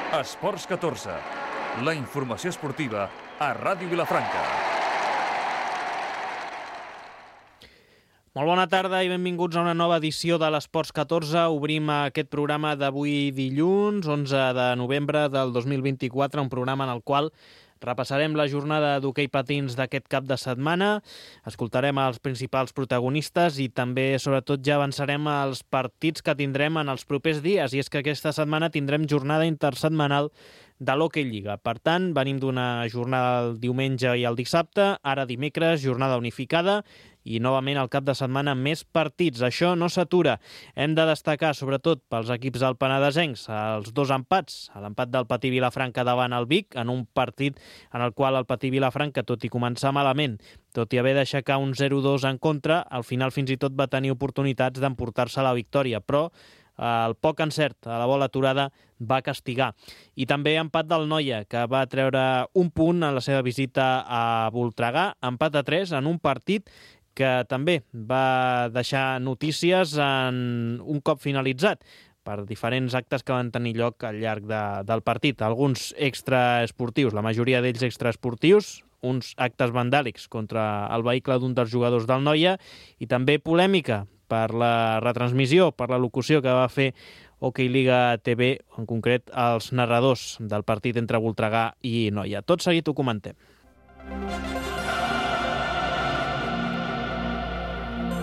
Esports 14, la informació esportiva a Ràdio Vilafranca. Molt bona tarda i benvinguts a una nova edició de l'Esports 14. Obrim aquest programa d'avui dilluns, 11 de novembre del 2024, un programa en el qual repassarem la jornada d'hoquei patins d'aquest cap de setmana, escoltarem els principals protagonistes i també, sobretot, ja avançarem als partits que tindrem en els propers dies. I és que aquesta setmana tindrem jornada intersetmanal de l'Hockey Lliga. Per tant, venim d'una jornada el diumenge i el dissabte, ara dimecres, jornada unificada, i novament al cap de setmana més partits. Això no s'atura. Hem de destacar, sobretot pels equips del penedesencs, els dos empats. L'empat del Patí Vilafranca davant el Vic, en un partit en el qual el Patí Vilafranca, tot i començar malament, tot i haver d'aixecar un 0-2 en contra, al final fins i tot va tenir oportunitats d'emportar-se la victòria, però el poc encert a la bola aturada va castigar. I també empat del Noia, que va treure un punt en la seva visita a Voltregà, empat a 3 en un partit que també va deixar notícies en un cop finalitzat per diferents actes que van tenir lloc al llarg del partit. Alguns extraesportius, la majoria d'ells extraesportius, uns actes vandàlics contra el vehicle d'un dels jugadors del Noia i també polèmica per la retransmissió, per la locució que va fer Hockey Liga TV, en concret els narradors del partit entre Voltregà i Noia. Tot seguit ho comentem.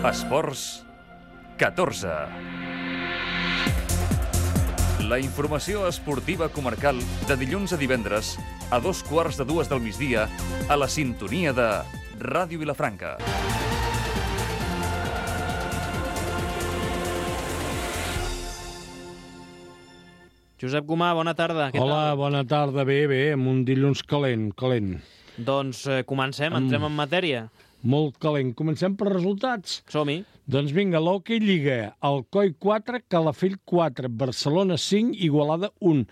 Esports 14. La informació esportiva comarcal de dilluns a divendres a 2:15 del migdia a la sintonia de Ràdio Vilafranca. Josep Gomà, bona tarda. Hola, bona tarda. Bé, amb un dilluns calent. Doncs comencem, entrem en matèria. Molt calent. Comencem per resultats. Som-hi. Doncs vinga, l'Hockey Lliga. Alcoi 4, Calafell 4, Barcelona 5, Igualada 1,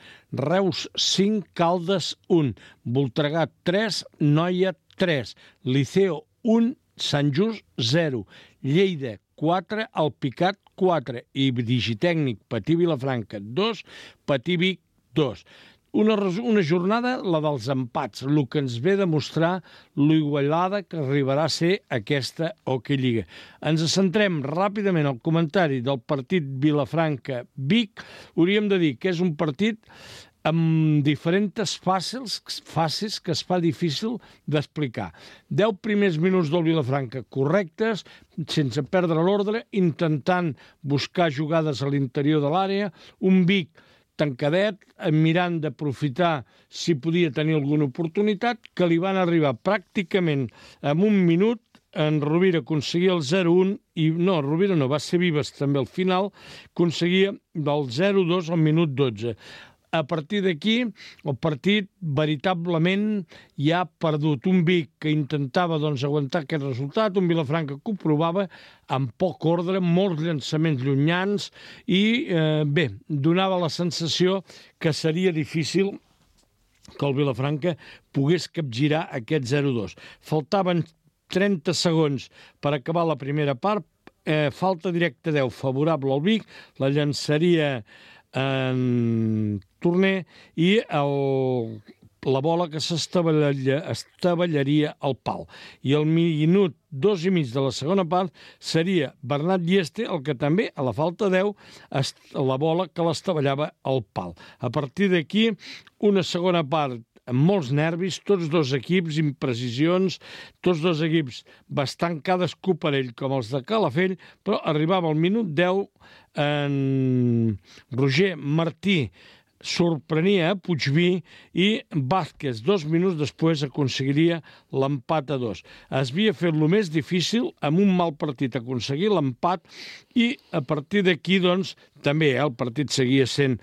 Reus 5, Caldes 1, Voltregà 3, Noia 3, Liceo 1, Sant Just 0, Lleida 4, Alpicat 4 i Digitècnic Patí Vilafranca 2, Patí Vic 2. Una jornada, la dels empats, el que ens ve a demostrar l'igualada que arribarà a ser aquesta Hockey Lliga. Ens centrem ràpidament al comentari del partit Vilafranca-Vic. Hauríem de dir que és un partit amb diferents fases que es fa difícil d'explicar. 10 primers minuts del Vilafranca correctes, sense perdre l'ordre, intentant buscar jugades a l'interior de l'àrea, un Vic tancadet, mirant d'aprofitar si podia tenir alguna oportunitat, que li van arribar pràcticament en un minut. En Rovira aconseguia el 0-1, i no, Rovira no, va ser Vives també al final, aconseguia del 0-2 al minut 12. A partir d'aquí, el partit veritablement ja ha perdut. Un Vic que intentava aguantar aquest resultat, un Vilafranca que ho provava amb poc ordre, molts llançaments llunyans i, donava la sensació que seria difícil que el Vilafranca pogués capgirar aquest 0-2. Faltaven 30 segons per acabar la primera part, falta directa 10 favorable al Vic, la llançaria en Torner i la bola que s'estavellaria al pal. I al minut 2 i mig de la segona part seria Bernat Dieste el que també, a la falta 10, la bola que l'estabellava al pal. A partir d'aquí, una segona part amb molts nervis, tots dos equips, imprecisions, tots dos equips bastant cadascú per ell, com els de Calafell, però arribava al minut 10, en Roger Martí sorprenia a Puigví i Vázquez, 2 minuts després, aconseguiria l'empat a 2. Es havia fet el més difícil, amb un mal partit, aconseguir l'empat i a partir d'aquí, doncs, també el partit seguia sent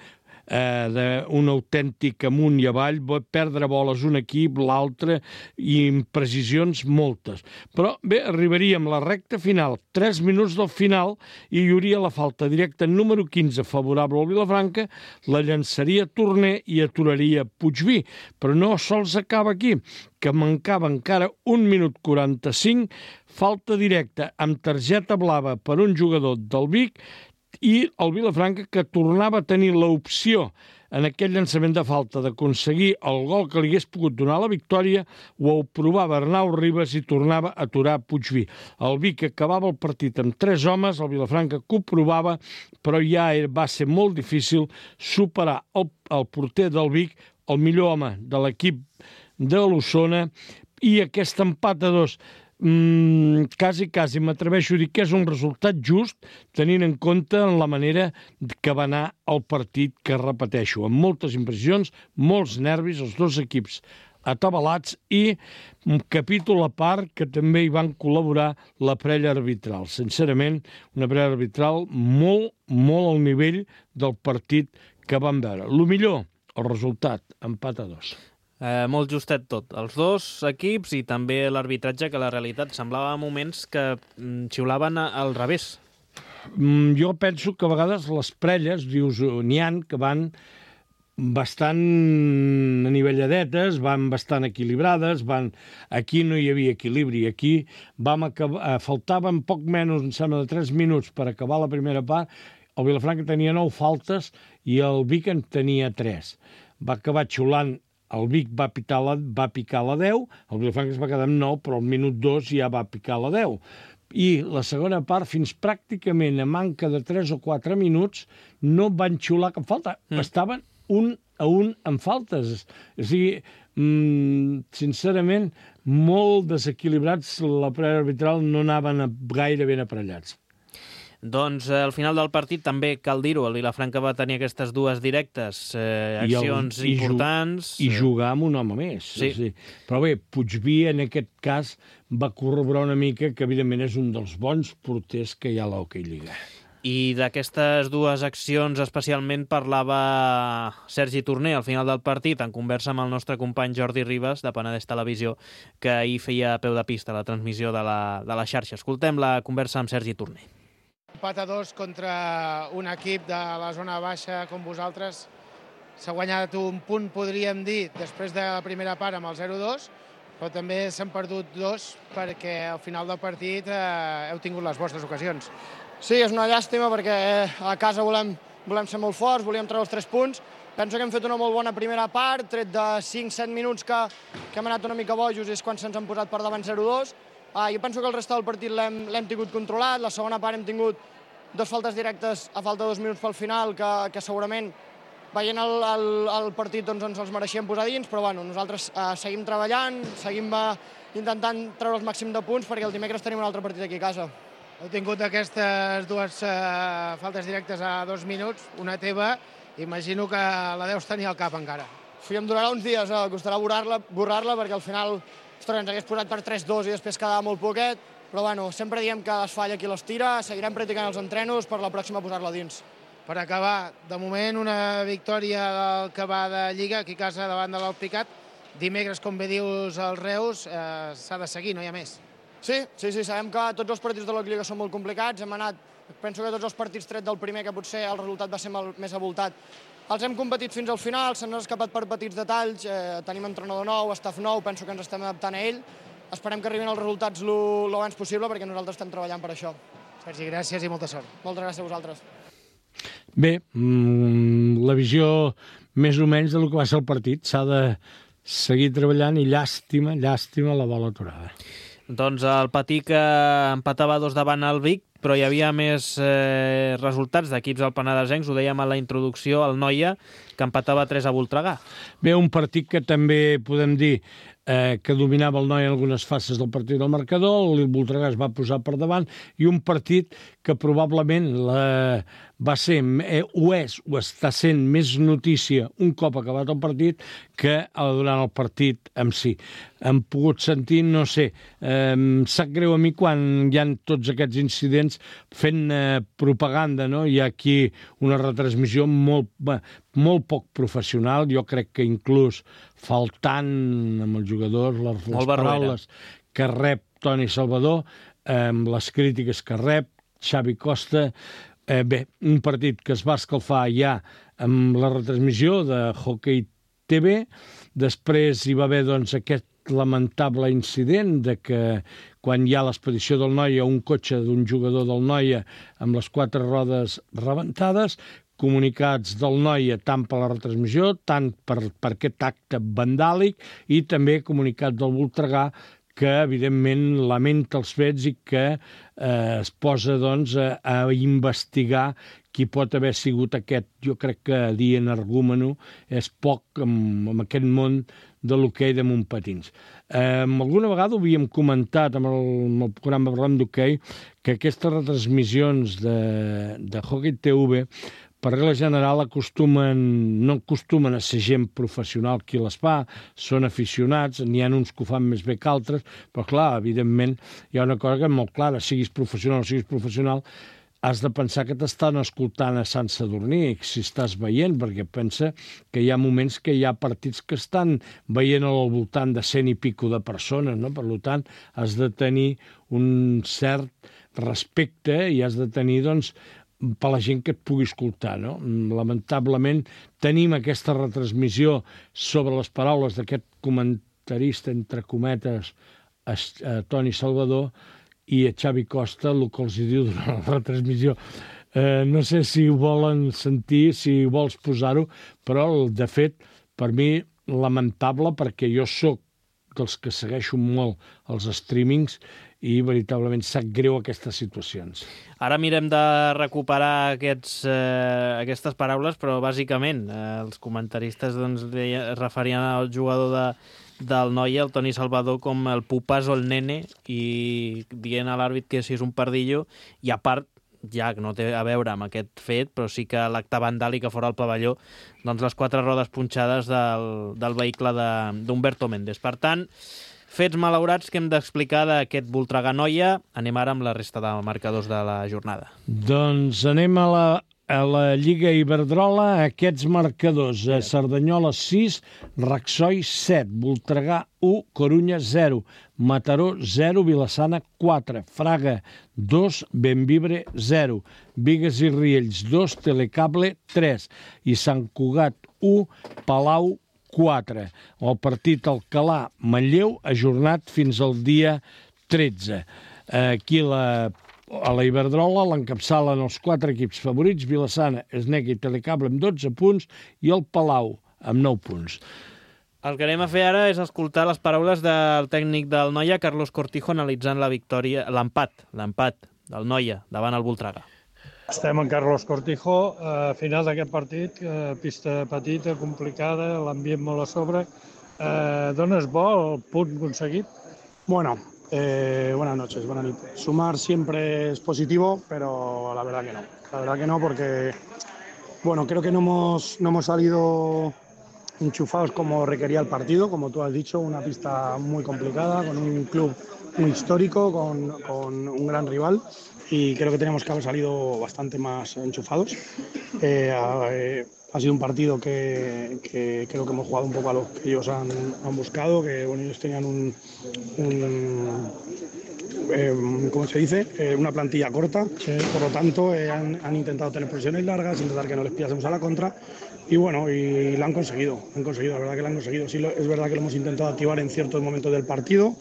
d'un autèntic amunt i avall, perdre boles un equip, l'altre, i imprecisions moltes. Però bé, arribaríem a la recta final, 3 minuts del final, i hi hauria la falta directa número 15 favorable al Vilafranca, la llançaria Torner i aturaria Puigví. Però no sols acaba aquí, que mancava encara 1 minut 45, falta directa amb targeta blava per un jugador del Vic, i el Vilafranca, que tornava a tenir l'opció en aquell llançament de falta d'aconseguir el gol que li hagués pogut donar la victòria, ho provava Arnau Ribas i tornava a aturar Puigví. El Vic acabava el partit amb 3 homes, el Vilafranca que ho provava, però ja va ser molt difícil superar el porter del Vic, el millor home de l'equip de l'Osona, i aquest empat a 2 quasi m'atreveixo a dir que és un resultat just, tenint en compte la manera que va anar el partit, que repeteixo, amb moltes impressions, molts nervis, els dos equips atabalats, i un capítol a part que també hi van col·laborar la parella arbitral. Sincerament, una parella arbitral molt al nivell del partit que vam veure. Lo millor, el resultat, empat a 2. Molt justet tot. Els dos equips i també l'arbitratge, que la realitat semblava a moments que xiulaven al revés. Jo penso que a vegades les parelles, dius, n'hi ha que van bastant anivelladetes, van bastant equilibrades, aquí no hi havia equilibri, aquí faltaven poc menys, em sembla, de 3 minuts per acabar la primera part, el Vilafranca tenia 9 faltes i el Vic en tenia 3. Va acabar xiulant. El Vic va picar la 10, el Vilafranca es va quedar amb 9, però al minut 2 ja va picar la 10. I la segona part, fins pràcticament a manca de 3 o 4 minuts, no van xiular cap falta. Estaven 1-1 en faltes. O sigui, sincerament, molt desequilibrats, la parella arbitral no anaven gaire ben aparellats. Doncs al final del partit també cal dir-ho, el Vilafranca va tenir aquestes dues directes, accions importants. I jugar amb un home més. Sí. Però bé, Puigví en aquest cas va corroborar una mica que evidentment és un dels bons porters que hi ha a l'Hockey Lliga. I d'aquestes dues accions especialment parlava Sergi Torner al final del partit, en conversa amb el nostre company Jordi Ribas, de Penedès Televisió, que ahir feia a peu de pista la transmissió de la xarxa. Escoltem la conversa amb Sergi Torner. Empat a 2 contra un equip de la zona baixa com vosaltres. S'ha guanyat un punt, podríem dir, després de la primera part amb el 0-2, però també s'han perdut 2 perquè al final del partit heu tingut les vostres ocasions. Sí, és una llàstima perquè a casa volem ser molt forts, volíem treure els 3 punts. Penso que hem fet una molt bona primera part, tret de 5-7 minuts que hem anat una mica bojos és quan se'ns han posat per davant 0-2. Jo penso que el resta del partit l'hem tingut controlat, la segona part hem tingut 2 faltes directes a falta de 2 minuts pel final que segurament veient el partit doncs ens els mereixíem posar dins, però bueno, nosaltres seguim treballant, seguim intentant treure el màxim de punts perquè el dimecres tenim un altre partit aquí a casa. Heu tingut aquestes 2 faltes directes a 2 minuts, una teva, imagino que la deus tenir al cap encara. Em durarà uns dies, costarà borrar-la perquè al final ens hagués posat per 3-2 i després quedava molt poquet, però bueno, sempre diem que es falla qui les tira, seguirem practicant els entrenos per la pròxima posar-la dins. Per acabar, de moment una victòria del que va de Lliga aquí a casa davant de l'Alpicat. Dimecres, com bé dius, els Reus s'ha de seguir, no hi ha més. Sí, sabem que tots els partits de la Lliga són molt complicats, penso que tots els partits tret del primer, que potser el resultat va ser més avoltat, els hem competit fins al final, se'ns han escapat per petits detalls, tenim entrenador nou, staff nou, penso que ens estem adaptant a ell. Esperem que arribin els resultats lo abans possible perquè nosaltres estem treballant per això. Sergi, gràcies i molta sort. Moltes gràcies a vosaltres. Bé, la visió més o menys del que va ser el partit. S'ha de seguir treballant i llàstima la bola aturada. Doncs el Patí que empatava 2 davant el Vic, però hi havia més resultats d'equips alpenadesencs, ho dèiem a la introducció, el Noia, que empatava 3 a Voltregà. Bé, un partit que també podem dir que dominava el Noia en algunes fases del partit del marcador, el Voltregà es va posar per davant, i un partit que probablement va ser, o està sent més notícia un cop acabat el partit que durant el partit en si. Hem pogut sentir, no sé, sap greu a mi quan hi ha tots aquests incidents fent propaganda, no? Hi ha aquí una retransmissió molt poc professional, jo crec que inclús faltant amb els jugadors les paraules que rep Toni Salvador, les crítiques que rep Xavi Costa. Bé, un partit que es va escalfar ja amb la retransmissió de Hockey TV, després hi va haver doncs aquest lamentable incident de que quan hi ha l'expedició del Noia, un cotxe d'un jugador del Noia amb les 4 rodes rebentades, comunicats del Noia tant per la retransmissió, tant per aquest acte vandàlic, i també comunicats del Voltregà, que evidentment lamenta els fets i que es posa doncs, a investigar qui pot haver sigut aquest. Jo crec que dir energúmeno és poc en aquest món de l'hoquei de Montpatins. Alguna vegada ho havíem comentat amb el programa Parlem d'Hoquei, que aquestes retransmissions de Hockey TV, per regla general, no acostumen a ser gent professional qui les fa, són aficionats, n'hi ha uns que ho fan més bé que altres, però clar, evidentment, hi ha una cosa que és molt clara, siguis professional o siguis professional, has de pensar que t'estan escoltant a Sant Sadurní, si estàs veient, perquè pensa que hi ha moments que hi ha partits que estan veient al voltant de 100 i pico de persones, no? Per tant, has de tenir un cert respecte i has de tenir, doncs, per la gent que et pugui escoltar, no? Lamentablement tenim aquesta retransmissió sobre les paraules d'aquest comentarista, entre cometes, Toni Salvador, i a Xavi Costa, el que els diu durant la retransmissió. No sé si ho volen sentir, si vols posar-ho, però, de fet, per mi, lamentable, perquè jo sóc dels que segueixo molt els streamings i veritablement sap greu aquestes situacions. Ara mirem de recuperar aquestes paraules, però bàsicament els comentaristes doncs, es referien al jugador del Noia, el Toni Salvador, com el pupàs o el nene, i dient a l'àrbit que si és un pardillo, i a part, ja que no té a veure amb aquest fet, però sí que l'acte vandàlic a fora del pavelló, doncs les 4 rodes punxades del vehicle d'Humberto Méndez. Per tant, fets malaurats que hem d'explicar d'aquest Voltregà Noia. Anem ara amb la resta de marcadors de la jornada. Doncs anem a la Lliga Iberdrola, aquests marcadors. Cerdanyola 6, Raxoi 7, Voltregà 1, Corunya 0, Mataró 0, Vilassana 4, Fraga 2, Bembibre 0, Bigues i Riells 2, Telecable 3 i Sant Cugat 1, Palau 4. El partit Alcalà-Manlleu ajornat fins al dia 13. Aquí a la Iberdrola l'encapçalen els 4 equips favorits, Vilassana, Esnec i Telecable amb 12 punts i el Palau amb 9 punts. El que anem a fer ara és escoltar les paraules del tècnic del Noia, Carlos Cortijo, analitzant l'empat del Noia davant el Voltregà. Estem amb Carlos Cortijo, final d'aquest partit, pista petita, complicada, l'ambient molt a sobre. ¿Dones bo el punt aconseguit? Bueno, buenas noches, buenas noches. Sumar siempre es positivo, pero la verdad que no. La verdad que no, porque bueno, creo que no hemos salido enchufados como requería el partido, como tú has dicho, una pista muy complicada, con un club muy histórico, con un gran rival. Y creo que teníamos que haber salido bastante más enchufados. Ha sido un partido que creo que hemos jugado un poco a lo que ellos han buscado, que bueno, ellos tenían ¿cómo se dice? Una plantilla corta, sí. Por lo tanto han intentado tener posiciones largas, intentar que no les pillásemos a la contra y bueno, y la han conseguido, la verdad que la han conseguido. Sí, es verdad que lo hemos intentado activar en ciertos momentos del partido,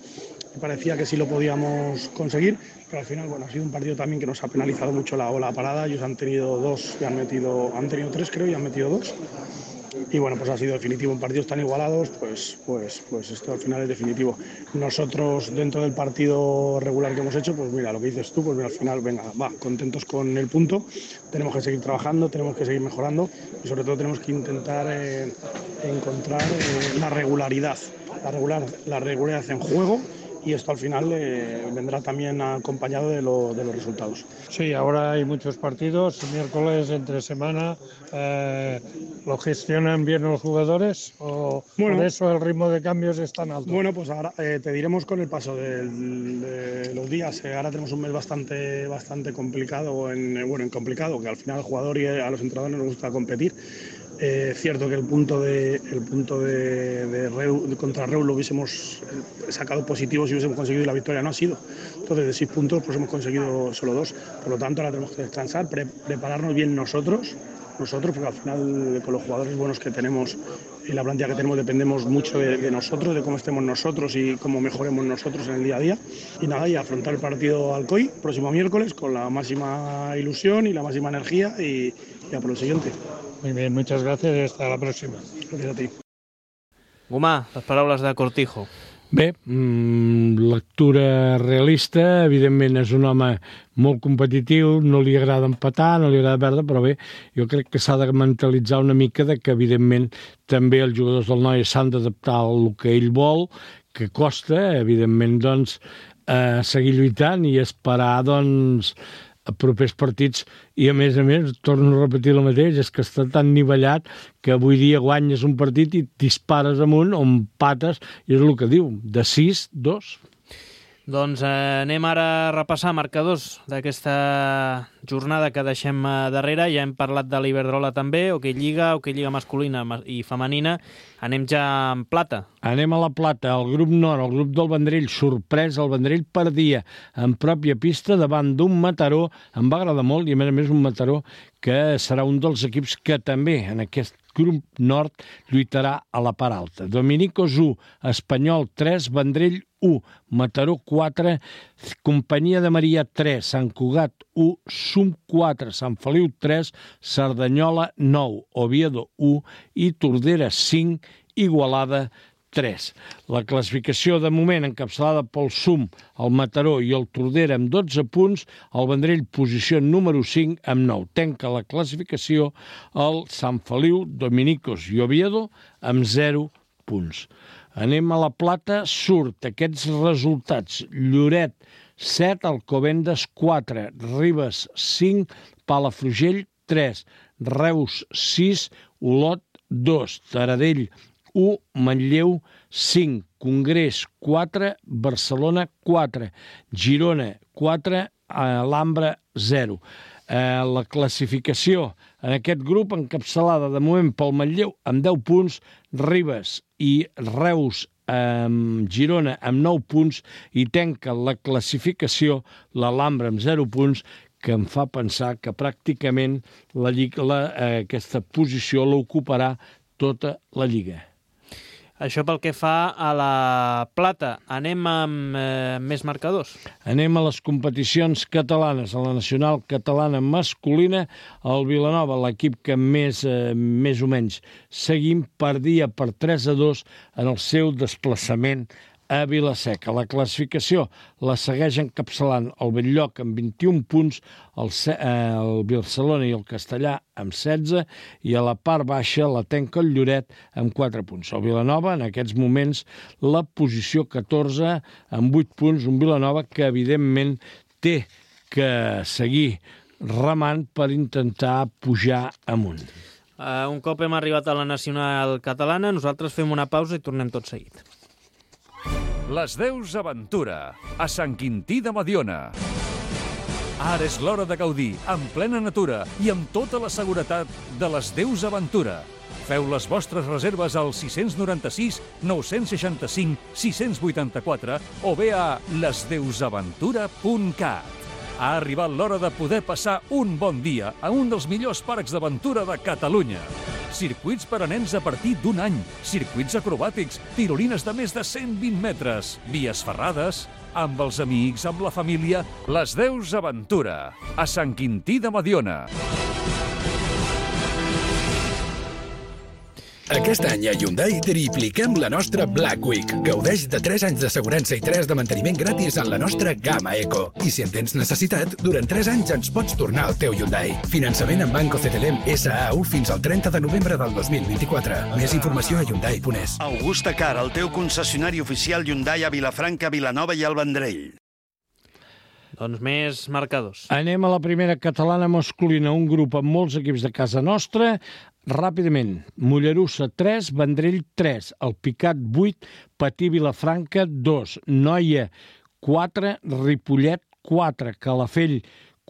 me parecía que sí lo podíamos conseguir, pero al final bueno, ha sido un partido también que nos ha penalizado mucho la ola parada. Ellos han tenido 2 y han tenido 3 creo y han metido 2. Y bueno, pues ha sido definitivo. En partidos tan igualados, pues esto al final es definitivo. Nosotros dentro del partido regular que hemos hecho, pues mira, lo que dices tú, pues mira, al final, venga, contentos con el punto. Tenemos que seguir trabajando, tenemos que seguir mejorando y sobre todo tenemos que intentar encontrar la regularidad en juego. Y esto al final vendrá también acompañado de los resultados. Sí, ahora hay muchos partidos, miércoles, entre semana. ¿Lo gestionan bien los jugadores o bueno, por eso el ritmo de cambios es tan alto? Bueno, pues ahora te diremos con el paso de los días. Ahora tenemos un mes bastante complicado, complicado, que al final al jugador y a los entrenadores nos gusta competir. Cierto que el punto de contra Reus lo hubiésemos sacado positivo si hubiésemos conseguido y la victoria no ha sido. Entonces de 6 puntos pues hemos conseguido solo 2. Por lo tanto ahora tenemos que descansar, prepararnos bien nosotros, porque al final con los jugadores buenos que tenemos y la plantilla que tenemos dependemos mucho de nosotros, de cómo estemos nosotros y cómo mejoremos nosotros en el día a día. Y nada, y afrontar el partido Alcoy próximo miércoles con la máxima ilusión y la máxima energía y y a por el siguiente. Muy bien, muchas gracias y hasta la próxima. Gracias a ti. Gomà, les paraules de Cortijo. Bé, lectura realista, evidentment és un home molt competitiu, no li agrada empatar, no li agrada perdre, però bé, jo crec que s'ha de mentalitzar una mica de que evidentment també els jugadors del Noia s'han d'adaptar al que ell vol, que costa, evidentment, doncs, seguir lluitant i esperar, doncs, propers partits, i a més, torno a repetir el mateix, és que està tan nivellat que avui dia guanyes un partit i dispares amunt o empates, i és el que diu, de 6-2. Doncs anem ara a repassar marcadors d'aquesta jornada que deixem darrere. Ja hem parlat de l'Iberdrola també, Hoquei Lliga masculina i femenina. Anem ja en plata. Anem a la plata, el grup nord, el grup del Vendrell, sorpresa, el Vendrell perdia en pròpia pista davant d'un Mataró, em va agradar molt, i a més un Mataró que serà un dels equips que també en aquest grup nord lluitarà a la part alta. Dominicos 1, Espanyol 3, Vendrell 1, Mataró 4, Companyia de Maria 3, Sant Cugat 1, Sum 4, Sant Feliu 3, Cerdanyola 9, Oviedo 1 i Tordera 5, Igualada 3. La classificació de moment encapçalada pel Sum, el Mataró i el Tordera amb 12 punts, el Vendrell posició número 5 amb 9. Tanca la classificació el Sant Feliu, Dominicos i Oviedo amb 0 punts. Anem a la plata, surt aquests resultats. Lloret 7, Alcobendas 4, Ribes 5, Palafrugell 3, Reus 6, Olot 2, Taradell 1, Manlleu 5, Congrés 4, Barcelona 4, Girona 4, Alhambra 0. La classificació en aquest grup encapçalada de moment pel Manlleu amb 10 punts, Ribes i Reus Girona amb 9 punts i tanca la classificació l'Alhambra amb 0 punts, que em fa pensar que pràcticament aquesta posició l'ocuparà tota la Lliga. Això pel que fa a la plata. Anem amb més marcadors. Anem a les competicions catalanes. A la nacional catalana masculina, el Vilanova, l'equip que més o menys seguim, perdia per 3-2 en el seu desplaçament a Vila-seca. La classificació la segueix encapçalant el Bell-lloc amb 21 punts, el Barcelona i el Castellà amb 16, i a la part baixa la tanca el Lloret amb 4 punts. El Vilanova, en aquests moments, la posició 14 amb 8 punts, un Vilanova que, evidentment, té que seguir remant per intentar pujar amunt. Un cop hem arribat a la nacional catalana, nosaltres fem una pausa i tornem tot seguit. Les Deus Aventura, a Sant Quintí de Mediona. Ara és l'hora de gaudir, en plena natura i amb tota la seguretat de les Deus Aventura. Feu les vostres reserves al 696 965 684 o bé a lesdeusaventura.cat. Ha arribat l'hora de poder passar un bon dia a un dels millors parcs d'aventura de Catalunya. Circuits per a nens a partir d'un any, circuits acrobàtics, tirolines de més de 120 metres, vies ferrades, amb els amics, amb la família. Les Deus Aventura, a Sant Quintí de Mediona. Aquest any a Hyundai tripliquem la nostra Black Week. Gaudeix de 3 anys d'assegurança i 3 de manteniment gratis en la nostra gamma Eco. I si en tens necessitat, durant 3 anys ens pots tornar al teu Hyundai. Finançament en Banco CTLM SAU fins al 30 de novembre del 2024. Més informació a Hyundai.es. Augusta Car, el teu concessionari oficial Hyundai a Vilafranca, Vilanova i el Vendrell. Doncs més marcadors. Anem a la primera catalana masculina, un grup amb molts equips de casa nostra. Ràpidament, Mollerussa 3, Vendrell 3, el Picat 8, Patí Vilafranca 2, Noia 4, Ripollet 4, Calafell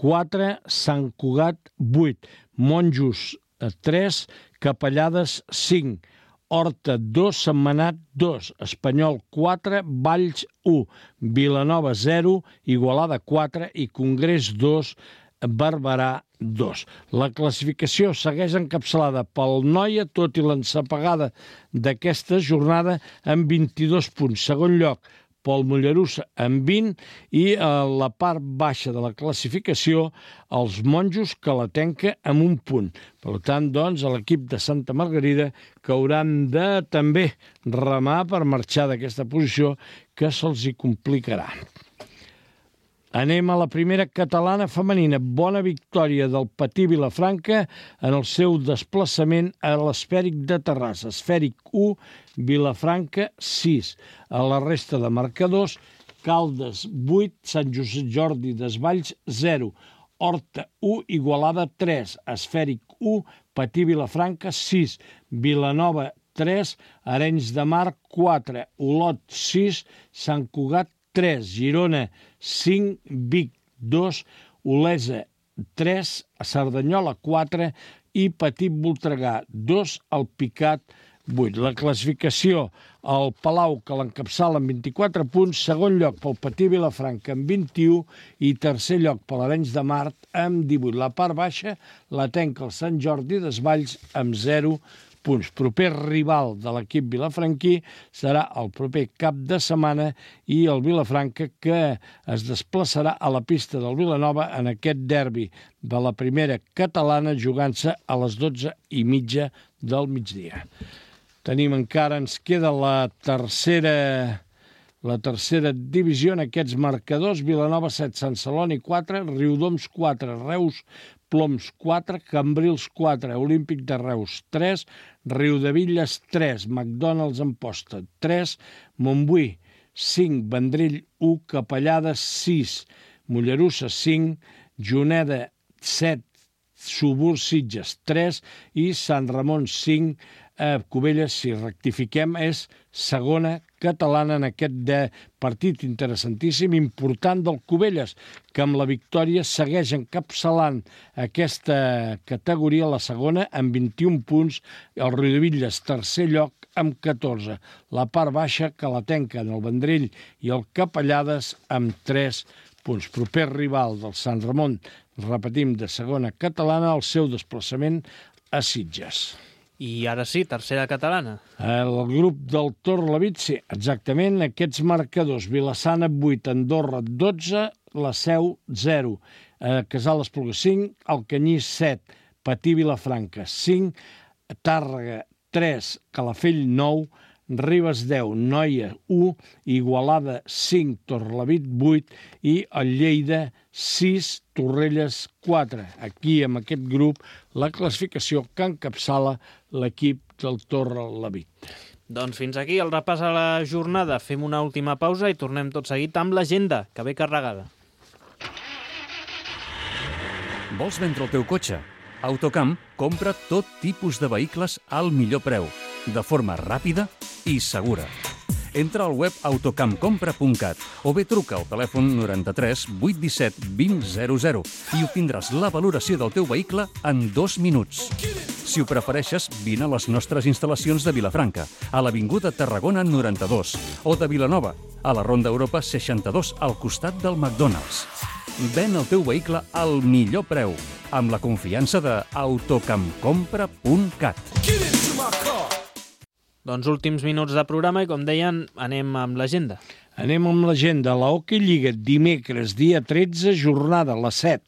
4, Sant Cugat 8, Monjos 3, Capellades 5, Horta 2, Sentmenat 2, Espanyol 4, Valls 1, Vilanova 0, Igualada 4 i Congrés 2, Barberà 2. La classificació segueix encapçalada pel Noia, tot i l'ensapegada d'aquesta jornada, amb 22 punts. Segon lloc, pel Mollerussa amb 20 i a la part baixa de la classificació els Monjos Calatenca amb 1 punt. Per tant, doncs, l'equip de Santa Margarida que hauran de també remar per marxar d'aquesta posició que se'ls hi complicarà. Anem a la primera catalana femenina. Bona victòria del Patí Vilafranca en el seu desplaçament a l'Esfèric de Terrassa. Esfèric 1, Vilafranca 6. A la resta de marcadors, Caldes 8, Sant Josep Jordi Desvalls 0, Horta 1, Igualada 3, Esfèric 1, Patí Vilafranca 6, Vilanova 3, Arenys de Mar 4, Olot 6, Sant Cugat 3, Girona 5, Vic 2, Olesa 3, Cerdanyola 4 i Petit Voltregà 2, Alpicat 8. La classificació, el Palau que l'encapçala amb 24 punts, segon lloc pel Patí Vilafranca amb 21 i tercer lloc per l'Arenys de Mar amb 18. La part baixa la tenca el Sant Jordi Desvalls amb 0 punts. Proper rival de l'equip vilafranquí serà el proper cap de setmana i el Vilafranca que es desplaçarà a la pista del Vilanova en aquest derbi de la primera catalana jugant-se a les 12:30 del migdia. Tenim encara, ens queda la tercera divisió en aquests marcadors. Vilanova 7, Sant Celoni 4, Riudoms 4, Reus Ploms 4, Cambrils 4, Olímpic de Reus 3, Riudevilles 3, McDonald's Amposta 3, Montbui 5, Vendrell 1, Capellades 6, Mollerussa 5, Juneda 7, Subur Sitges 3 i Sant Ramon 5, Cubelles, si rectifiquem, és segona catalana en aquest partit interessantíssim, important del Cubelles, que amb la victòria segueix encapçalant aquesta categoria, la segona, amb 21 punts, el Riudevilles, tercer lloc, amb 14. La part baixa que la tenquen el Vendrell i el Capellades amb 3 punts. Proper rival del Sant Ramon, repetim, de segona catalana, el seu desplaçament a Sitges. I ara sí, tercera catalana. El grup del Torlavit, sí, exactament, aquests marcadors. Vilassana 8, Andorra 12, la Seu 0, Casal Espluga 5, Alcanyí 7, Patí Vilafranca 5, Tàrrega 3, Calafell 9, Ribes 10, Noia 1, Igualada 5, Torlavit 8 i el Lleida 6, Torrelles 4. Aquí, amb aquest grup, la classificació que encapçala l'equip del Torlavit. Doncs fins aquí el repàs a la jornada. Fem una última pausa i tornem tot seguit amb l'agenda, que ve carregada. Vols vendre el teu cotxe? Autocamp compra tot tipus de vehicles al millor preu, de forma ràpida i segura. Entra al web autocampcompra.cat o bé truca al telèfon 93 817 2000 i obtindràs la valoració del teu vehicle en 2 minuts. Si ho prefereixes, vine a les nostres instal·lacions de Vilafranca, a l'Avinguda Tarragona 92, o de Vilanova, a la Ronda Europa 62, al costat del McDonald's. Ven el teu vehicle al millor preu, amb la confiança de autocampcompra.cat. Doncs últims minuts de programa i, com deien, anem amb l'agenda. Anem amb l'agenda. La Hockey Lliga, dimecres, dia 13, jornada, la 7.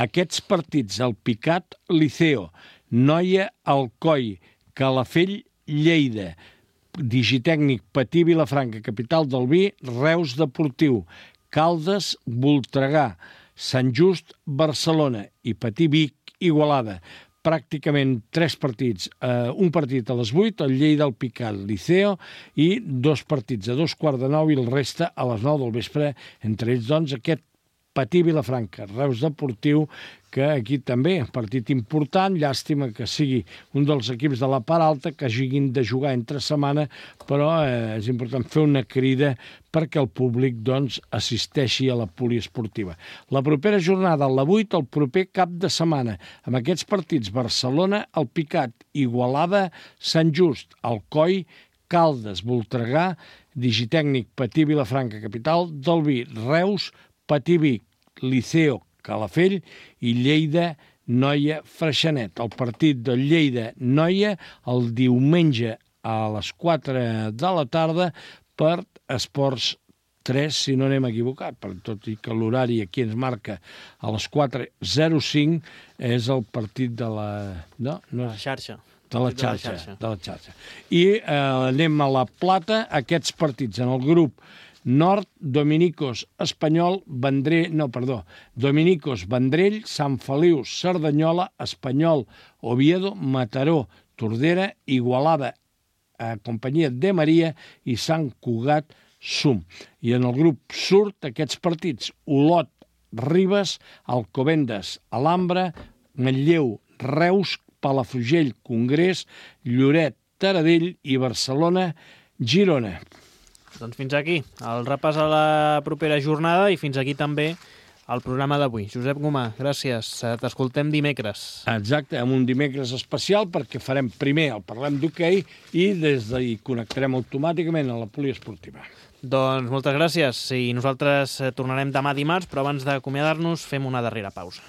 Aquests partits, el Picat, Liceo, Noia, Alcoi, Calafell, Lleida, Digitècnic, Patí, Vilafranca, Capital del Vi, Reus Deportiu, Caldes, Voltregà, Sant Just, Barcelona i Patí, Vic, Igualada. Pràcticament 3 partits, un partit a les 8, el Lleida, el Picat, Liceo, i 2 partits a 2:15 i el reste a les 9 del vespre, entre ells, doncs, aquest Patí Vilafranca, Reus Deportiu, que aquí també, partit important, llàstima que sigui un dels equips de la part alta, que hagin de jugar entre setmana, però és important fer una crida perquè el públic doncs, assisteixi a la poliesportiva. La propera jornada, la 8, el proper cap de setmana, amb aquests partits, Barcelona, el Picat, Igualada, Sant Just, Alcoi, Caldes, Voltregà, Digitècnic, Patí, Vilafranca, Capital del Vi, Reus, Patí, Vic, Liceo, Calafell i Lleida, Noia, Freixenet. El partit del Lleida-Noia el diumenge a les 4 de la tarda per Esports 3, si no anem equivocat, per tot i que l'horari aquí ens marca a les 4:05, és el partit de la... No, La xarxa. De la xarxa. I anem a la plata, aquests partits en el grup Nord, Dominicos, Dominicos, Vendrell, Sant Feliu, Cerdanyola, Espanyol, Oviedo, Mataró, Tordera, Igualada, Companyia de Maria i Sant Cugat, Sum. I en el grup Sud, aquests partits, Olot, Ribes, Alcobendas, Alhambra, Manlleu, Reus, Palafrugell, Congrés, Lloret, Taradell i Barcelona, Girona. Doncs fins aquí el repàs a la propera jornada i fins aquí també el programa d'avui. Josep Gomà, gràcies. T'escoltem dimecres. Exacte, amb un dimecres especial perquè farem primer el Parlem d'Hoquei i des d'ahir connectarem automàticament a la poliesportiva. Doncs moltes gràcies i nosaltres tornarem demà dimarts, però abans d'acomiadar-nos fem una darrera pausa.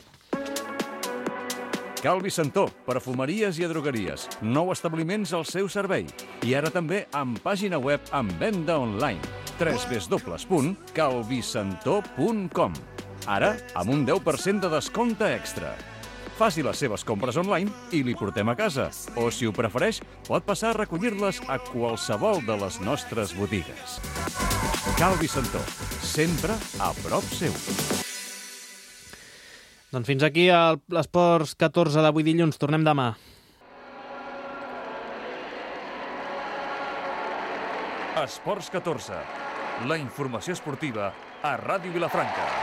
Calvi Santó, perfumeries i drogueries. 9 establiments al seu servei. I ara també amb pàgina web amb venda online. www.calvisantó.com. Ara amb un 10% de descompte extra. Faci les seves compres online i li portem a casa. O, si ho prefereix, pot passar a recollir-les a qualsevol de les nostres botigues. Calvi Santó, sempre a prop seu. Doncs fins aquí l'Esports 14 d'avui dilluns. Tornem demà. Esports 14. La informació esportiva a Ràdio Vilafranca.